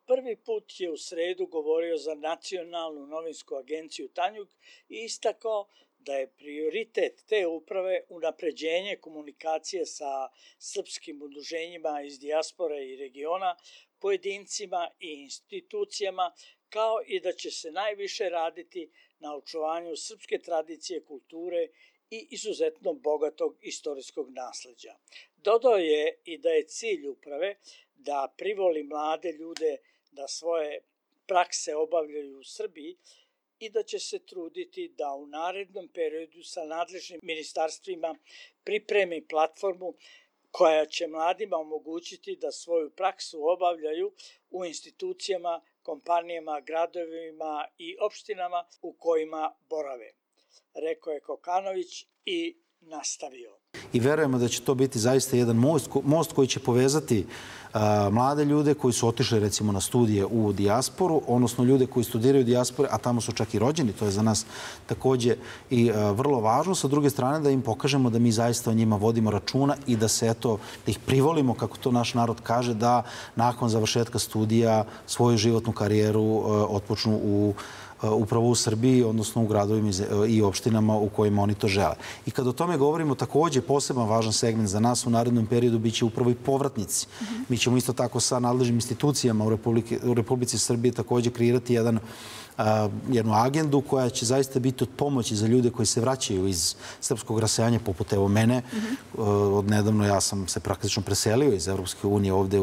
prvi put je u sredu govorio za nacionalnu novinsku agenciju Tanjug i istakao da je prioritet te uprave unapređenje komunikacije sa srpskim udruženjima iz dijaspore i regiona, pojedincima i institucijama, kao i da će se najviše raditi na očuvanju srpske tradicije, kulture i izuzetno bogatog istorijskog nasleđa. Dodao je i da je cilj uprave da privoli mlade ljude da svoje prakse obavljaju u Srbiji i da će se truditi da u narednom periodu sa nadležnim ministarstvima pripremi platformu koja će mladima omogućiti da svoju praksu obavljaju u institucijama, kompanijama, gradovima i opštinama u kojima borave, rekao je Kokanović i nastavio. I verujemo da će to biti zaista jedan most koji će povezati mlade ljude koji su otišli recimo na studije u dijasporu, odnosno ljude koji studiraju u dijaspore, a tamo su čak i rođeni, to je za nas takođe i vrlo važno. Sa druge strane da im pokažemo da mi zaista o njima vodimo računa i da se da ih privolimo, kako to naš narod kaže, da nakon završetka studija svoju životnu karijeru otpočnu upravo u Srbiji, odnosno u gradovima i opštinama u kojima oni to žele. I kad o tome govorimo, takođe poseban važan segment za nas u narednom periodu biće upravo i povratnici. Mi ćemo isto tako sa nadležnim institucijama u Republici Srbije takođe kreirati jednu agendu koja će zaista biti od pomoći za ljude koji se vraćaju iz srpskog rasejanja, poput evo mene. Odnedavno ja sam se praktično preselio iz Evropske unije ovde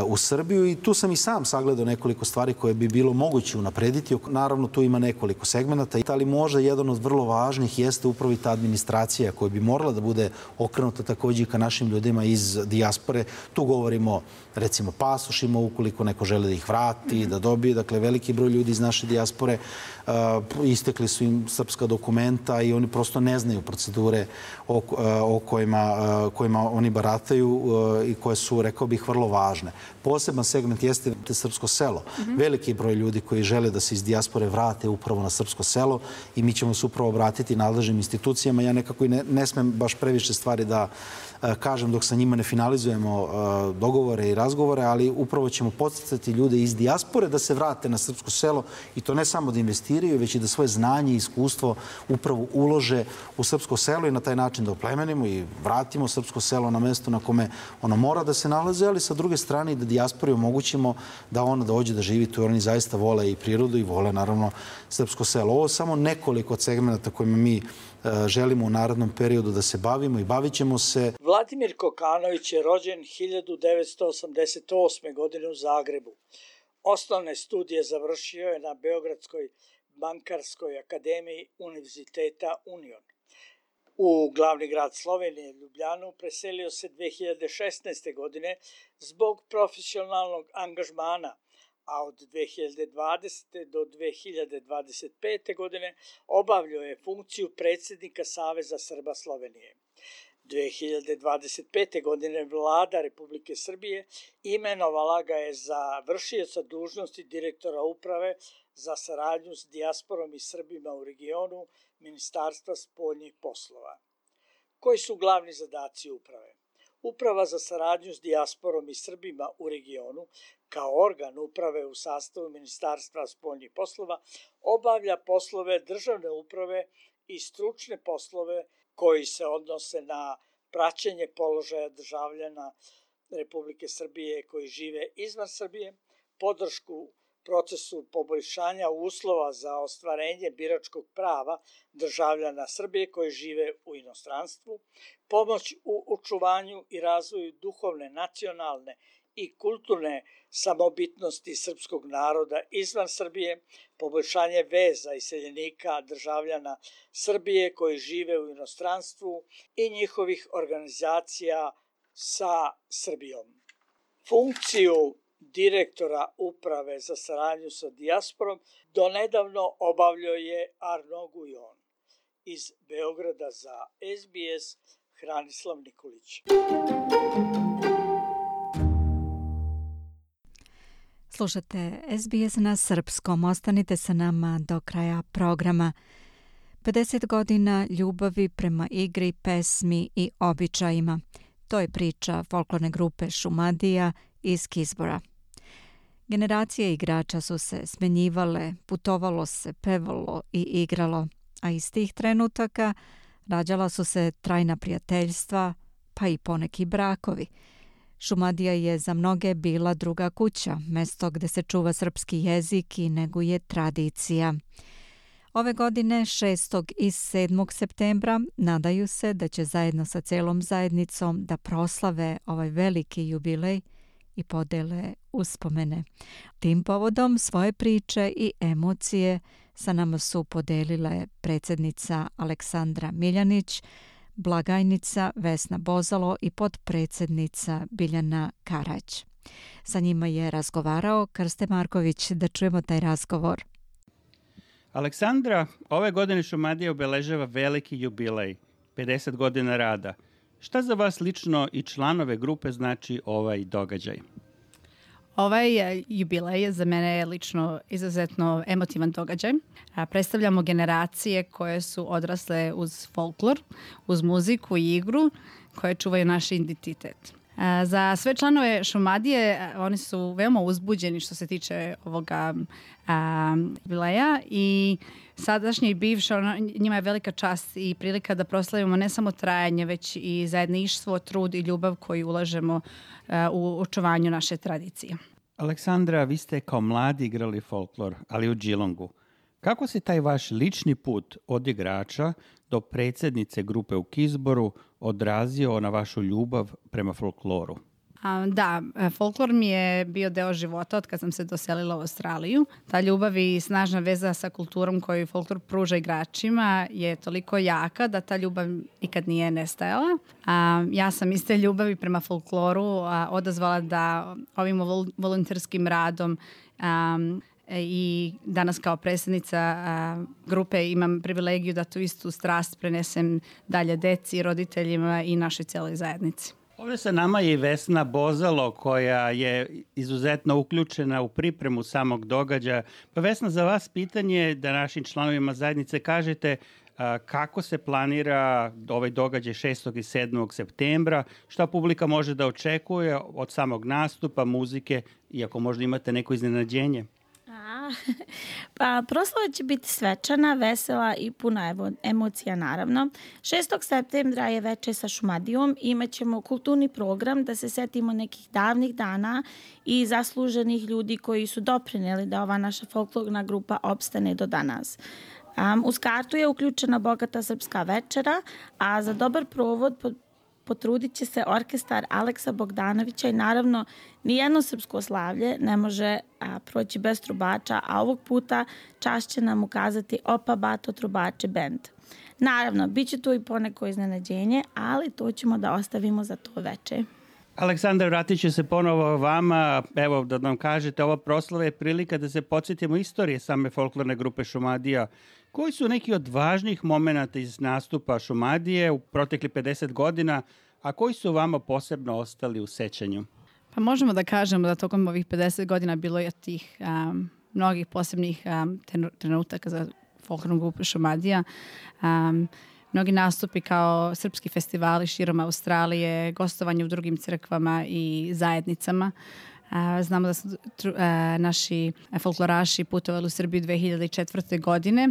u Srbiju i tu sam i sam sagledao nekoliko stvari koje bi bilo moguće unaprediti. Naravno, tu ima nekoliko segmenata, ali možda jedan od vrlo važnih jeste upravo i ta administracija koja bi morala da bude okrenuta takođe i ka našim ljudima iz dijaspore. Tu govorimo recimo pasošima, ukoliko neko žele da ih vrati, da dobije. Dakle, veliki broj ljudi iz naše naše dijaspore, istekli su im srpska dokumenta i oni prosto ne znaju procedure o kojima oni barataju i koje su, rekao bih, vrlo važne. Poseban segment jeste srpsko selo. Veliki broj ljudi koji žele da se iz dijaspore vrate upravo na srpsko selo i mi ćemo se upravo obratiti nadležnim institucijama. Ja nekako i ne smem baš previše stvari da kažem dok sa njima ne finalizujemo dogovore i razgovore, ali upravo ćemo podsticati ljude iz dijaspore da se vrate na srpsko selo i to ne samo da investiraju, već i da svoje znanje i iskustvo upravo ulože u srpsko selo i na taj način da oplemenimo i vratimo srpsko selo na mesto na kome ono mora da se nalaze, ali sa druge strane i da dijaspori omogućimo da ona dođe da živi tu, jer oni zaista vole i prirodu i vole naravno srpsko selo. Ovo je samo nekoliko od segmenta kojima mi želimo u narednom periodu da se bavimo i bavit ćemo se. Vladimir Kokanović je rođen 1988. godine u Zagrebu. Osnovne studije završio je na Beogradskoj bankarskoj akademiji Univerziteta Union. U glavni grad Slovenije, Ljubljanu, preselio se 2016. godine zbog profesionalnog angažmana, a od 2020. do 2025. godine obavljao je funkciju predsjednika Saveza Srba Slovenije. 2025. godine vlada Republike Srbije imenovala ga je za vršioca dužnosti direktora uprave za saradnju s dijasporom i Srbima u regionu Ministarstva spoljnih poslova. Koji su glavni zadaci uprave? Uprava za saradnju s dijasporom i Srbima u regionu, kao organ uprave u sastavu Ministarstva spoljnih poslova, obavlja poslove državne uprave i stručne poslove koji se odnose na praćenje položaja državljana Republike Srbije koji žive izvan Srbije, podršku procesu poboljšanja uslova za ostvarenje biračkog prava državljana Srbije koji žive u inostranstvu, pomoć u očuvanju i razvoju duhovne, nacionalne i kulturne samobitnosti srpskog naroda izvan Srbije, poboljšanje veza iseljenika državljana Srbije koji žive u inostranstvu i njihovih organizacija sa Srbijom. Funkciju direktora uprave za saradnju sa dijasporom donedavno obavljao je Arno Gujon. Iz Beograda za SBS Hranislav Nikolić. Slušate SBS na srpskom. Ostanite sa nama do kraja programa. 50 godina ljubavi prema igri, pesmi i običajima. To je priča folklorne grupe Šumadija iz Kizbora. Generacije igrača su se smenjivale, putovalo se, pevalo i igralo, a iz tih trenutaka rađala su se trajna prijateljstva, pa i poneki brakovi. Šumadija je za mnoge bila druga kuća, mesto gde se čuva srpski jezik i neguje tradicija. Ove godine, 6. i 7. septembra, nadaju se da će zajedno sa celom zajednicom da proslave ovaj veliki jubilej i podele uspomene. Tim povodom svoje priče i emocije sa nama su podelile predsjednica Aleksandra Miljanić, blagajnica Vesna Bozalo i potpredsjednica Biljana Karać. Sa njima je razgovarao Krste Marković. Da čujemo taj razgovor. Aleksandra, ove godine Šumadija obeležava veliki jubilej, 50 godina rada. Šta za vas lično i članove grupe znači ovaj događaj? Ovaj jubilej za mene je lično izuzetno emotivan događaj. Predstavljamo generacije koje su odrasle uz folklor, uz muziku i igru koje čuvaju naš identitet. Za sve članove Šumadije oni su veoma uzbuđeni što se tiče ovoga jubileja i sadašnje i bivše, njima je velika čast i prilika da proslavimo ne samo trajanje, već i zajedništvo, trud i ljubav koju ulažemo u očuvanju naše tradicije. Aleksandra, vi ste kao mladi igrali folklor, ali u Geelongu. Kako se taj vaš lični put od igrača do predsjednice grupe u Kizboru odrazio na vašu ljubav prema folkloru? Da, folklor mi je bio deo života od kad sam se doselila u Australiju. Ta ljubav i snažna veza sa kulturom koju folklor pruža igračima je toliko jaka da ta ljubav nikad nije nestajala. Ja sam iz te ljubavi prema folkloru odazvala da ovim volonterskim radom i danas kao predsjednica grupe imam privilegiju da tu istu strast prenesem dalje deci, roditeljima i našoj cijeloj zajednici. Ovdje sa nama je i Vesna Bozalo koja je izuzetno uključena u pripremu samog događaja. Pa Vesna, za vas pitanje da našim članovima zajednice kažete kako se planira ovaj događaj 6. i 7. septembra, šta publika može da očekuje od samog nastupa, muzike, iako možda imate neko iznenađenje? Pa proslava će biti svečana, vesela i puna emocija naravno. 6. septembra je veče sa Šumadijom i imat ćemo kulturni program da se setimo nekih davnih dana i zasluženih ljudi koji su doprinijeli da ova naša folklorna grupa opstane do danas. Uz kartu je uključena bogata srpska večera, a za dobar provod potrudit će se orkestar Aleksa Bogdanovića i naravno nijedno srpsko slavlje ne može proći bez trubača, a ovog puta čast će nam ukazati Opa Bato Trubači band. Naravno, bit će tu i poneko iznenađenje, ali to ćemo da ostavimo za to veče. Aleksandar, vratit ću se ponovo vama. Evo, da nam kažete, ova proslava je prilika da se podsjetimo istorije same folklorne grupe Šumadija. Koji su neki od važnih momenata iz nastupa Šumadije u protekli 50 godina, a koji su vama posebno ostali u sećanju? Pa možemo da kažemo da tokom ovih 50 godina bilo je tih mnogih posebnih trenutaka za folklornu grupu Šumadija. Mnogi nastupi kao srpski festivali širom Australije, gostovanje u drugim crkvama i zajednicama. Znamo da su naši folkloraši putovali u Srbiju 2004. godine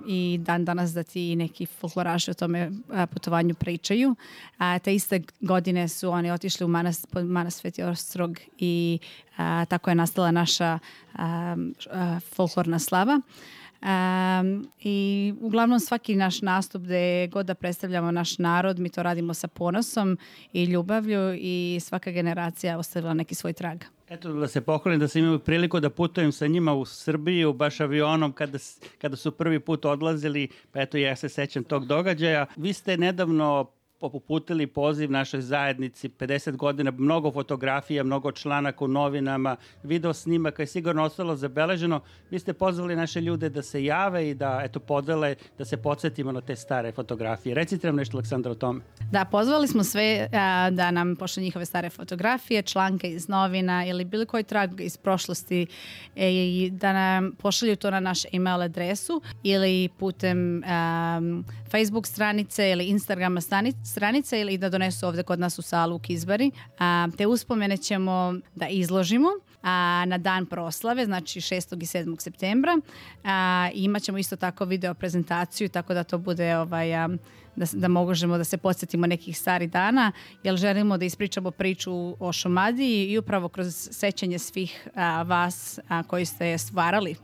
i dan danas da ti neki folkloraši o tome putovanju pričaju. Te iste godine su oni otišli u manastir Sveti Ostrog i tako je nastala naša folklorna slava. I uglavnom svaki naš nastup gde god da predstavljamo naš narod, mi to radimo sa ponosom i ljubavlju i svaka generacija ostavila neki svoj trag. Eto, da se pohvalim da sam imao priliku da putujem sa njima u Srbiju, baš avionom kada su prvi put odlazili, pa eto ja se sećam tog događaja. Vi ste nedavno uputili poziv našoj zajednici, 50 godina, mnogo fotografija, mnogo članaka u novinama, video snimaka je sigurno ostalo zabeleženo. Vi ste pozvali naše ljude da se jave i da podele, da se podsjetimo na te stare fotografije. Recite nam nešto, Aleksandra, o tome. Da, pozvali smo sve da nam pošle njihove stare fotografije, članke iz novina ili bilo koji trag iz prošlosti i da nam pošalju to na naš email adresu ili putem Facebook stranice ili Instagrama stranice ili da donesu ovdje kod nas u salu u Kizbari. Te uspomene ćemo da izložimo na dan proslave, znači 6. i 7. septembra. Imat ćemo isto tako video prezentaciju, tako da to bude da možemo da se podsjetimo nekih starih dana, jer želimo da ispričamo priču o Šumadiji i upravo kroz sećanje svih vas koji ste je stvarali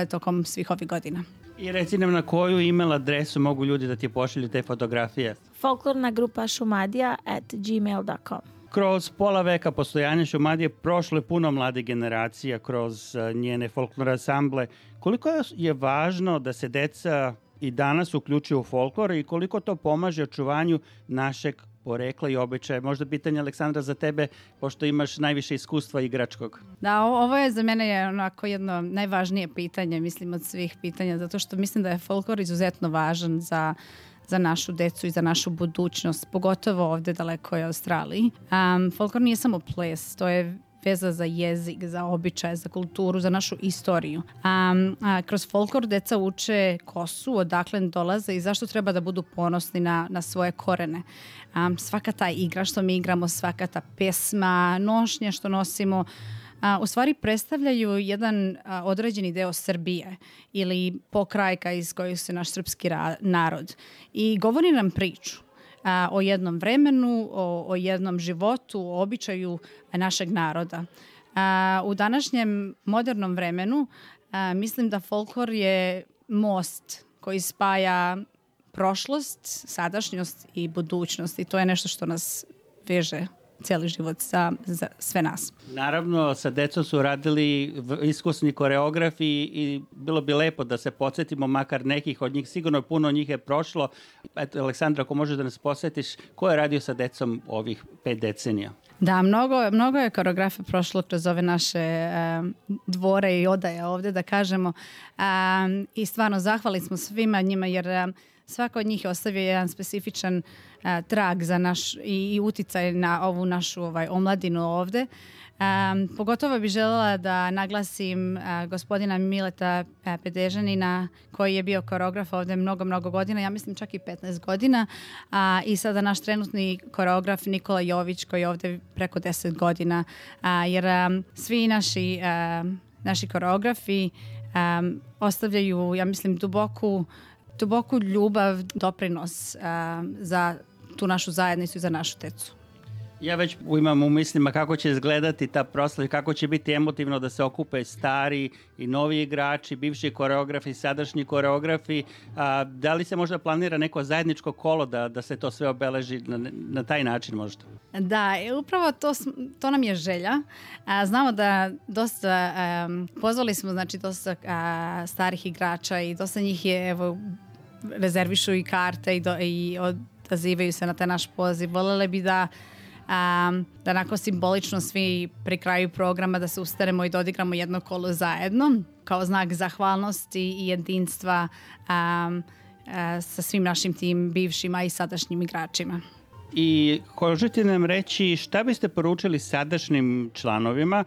tokom svih ovih godina. I reci nam na koju email adresu mogu ljudi da ti pošalju te fotografije? Folklorna grupa šumadija@gmail.com. Kroz pola veka postojanja Šumadije prošlo je puno mlade generacija kroz njene folklorne ansamble. Koliko je važno da se deca i danas uključuju u folklor i koliko to pomaže očuvanju našeg porekla i običaja? Možda pitanje, Aleksandra, za tebe, pošto imaš najviše iskustva igračkog. Da, ovo je za mene onako jedno najvažnije pitanje, mislim, od svih pitanja, zato što mislim da je folklor izuzetno važan za našu decu i za našu budućnost, pogotovo ovdje daleko je Australiji. Folklor nije samo ples, to je veza za jezik, za običaje, za kulturu, za našu istoriju. Kroz folklor deca uče ko su, odakle dolaze i zašto treba da budu ponosni na svoje korene. Svaka ta igra što mi igramo, svaka ta pesma, nošnje što nosimo, u stvari predstavljaju jedan određeni deo Srbije ili pokrajka iz kojeg se naš srpski narod. I govori nam priču o jednom vremenu, o jednom životu, o običaju našeg naroda. U današnjem modernom vremenu mislim da folklor je most koji spaja prošlost, sadašnjost i budućnost i to je nešto što nas veže cijeli život za sve nas. Naravno, sa decom su radili iskusni koreografi i bilo bi lepo da se podsjetimo makar nekih od njih. Sigurno puno njih je prošlo. Eto, Aleksandra, ako možeš da nas podsjetiš, ko je radio sa decom ovih 5 decenija? Da, mnogo je koreografa prošlo kroz ove naše dvore i odaje ovdje, da kažemo. I stvarno zahvali smo svima njima, jer svako od njih je ostavio jedan specifičan trag za naš i uticaj na ovu našu omladinu ovdje. Pogotovo bih željela da naglasim gospodina Mileta Pedežanina, koji je bio koreograf ovdje mnogo godina, ja mislim čak i 15 godina, i sada naš trenutni koreograf Nikola Jović, koji je ovdje preko 10 godina, jer svi naši koreografi ostavljaju, ja mislim, duboku ljubav, doprinos za tu našu zajednicu i za našu decu. Ja već imam u mislima kako će izgledati ta proslava, kako će biti emotivno da se okupe stari i novi igrači, bivši koreografi, sadašnji koreografi. Da li se možda planira neko zajedničko kolo da se to sve obeleži na taj način možda? Da, upravo to nam je želja. Znamo da dosta, pozvali smo dosta starih igrača i dosta njih je rezervišu i karte i odazivaju se na taj naš poziv. Voljeli bi da onako simbolično svi pri kraju programa da se ustanemo i da odigramo jedno kolo zajedno kao znak zahvalnosti i jedinstva sa svim našim tim bivšima i sadašnjim igračima. I možete nam reći šta biste poručili sadašnjim članovima,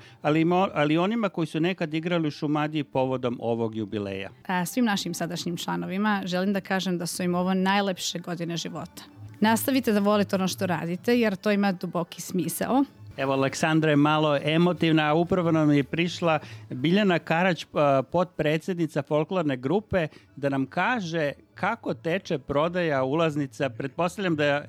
ali onima koji su nekad igrali u Šumadiji povodom ovog jubileja? Svim našim sadašnjim članovima želim da kažem da su im ovo najlepše godine života. Nastavite da volite ono što radite, jer to ima duboki smisao. Evo, Aleksandra je malo emotivna, a upravo nam je prišla Biljana Karać, potpredsjednica folklorne grupe, da nam kaže kako teče prodaja ulaznica. Pretpostavljam da je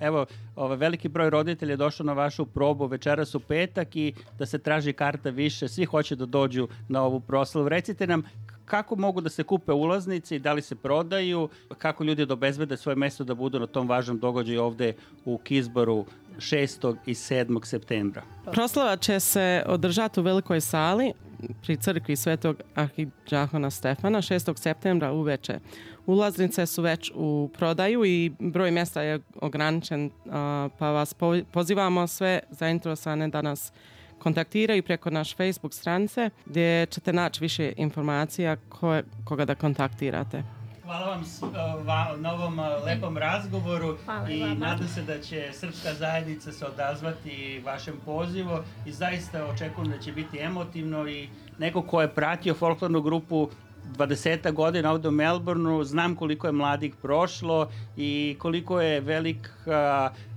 veliki broj roditelja došao na vašu probu večeras u petak i da se traži karta više. Svi hoće da dođu na ovu proslavu. Recite nam kako mogu da se kupe ulaznice i da li se prodaju, kako ljudi da obezbede svoje mjesto da budu na tom važnom događaju ovdje u Kizboru 6. i 7. septembra. Proslava će se održati u velikoj sali pri crkvi Svetog arhidžahona Stefana 6. septembra uveče. Ulaznice su već u prodaju i broj mjesta je ograničen, pa vas pozivamo sve zainteresovane da nas kontaktiraju preko naš Facebook stranice gdje ćete naći više informacija koga da kontaktirate. Hvala vam na ovom lepom razgovoru i nadam se da će srpska zajednica se odazvati vašem pozivu i zaista očekujem da će biti emotivno i neko ko je pratio folklornu grupu 20 godina ovdje u Melbourneu, znam koliko je mladih prošlo i koliko je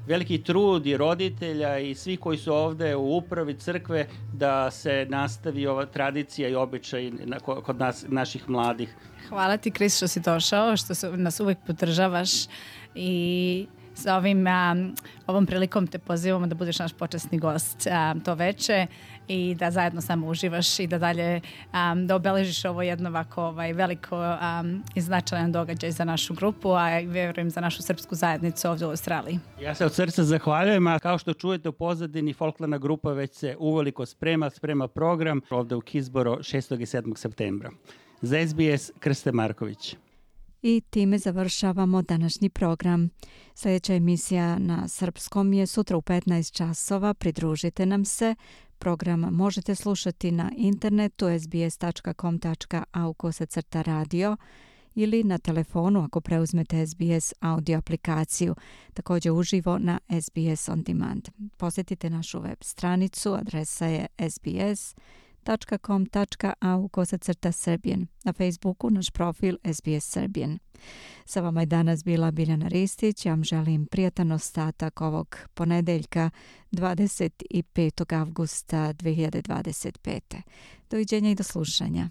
veliki trud i roditelja i svi koji su ovdje u upravi crkve da se nastavi ova tradicija i običaj kod naših mladih. Hvala ti, Kris, što si došao, što nas uvijek podržavaš i sa ovom prilikom te pozivamo da budeš naš počasni gost to veče i da zajedno samo uživaš i da dalje da obeležiš ovo jedno ovako veliko i značajan događaj za našu grupu, a i vjerujem za našu srpsku zajednicu ovdje u Australiji. Ja se od srca zahvaljujem, a kao što čujete u pozadini, folklorna grupa već se uveliko sprema program ovdje u Kizboru 6. i 7. septembra. Za SBS, Krste Marković. I time završavamo današnji program. Sljedeća emisija na srpskom je sutra u 15 časova. Pridružite nam se. Program možete slušati na internetu sbs.com.au/radio ili na telefonu ako preuzmete SBS audio aplikaciju, također uživo na SBS On Demand. Posjetite našu web stranicu, adresa je sbs.com.au/Serbian. Na Facebooku naš profil SBS Serbian. Sa vama je danas bila Biljana Ristić. Ja vam želim prijatan ostatak ovog ponedeljka 25. avgusta 2025. Doviđenja i do slušanja.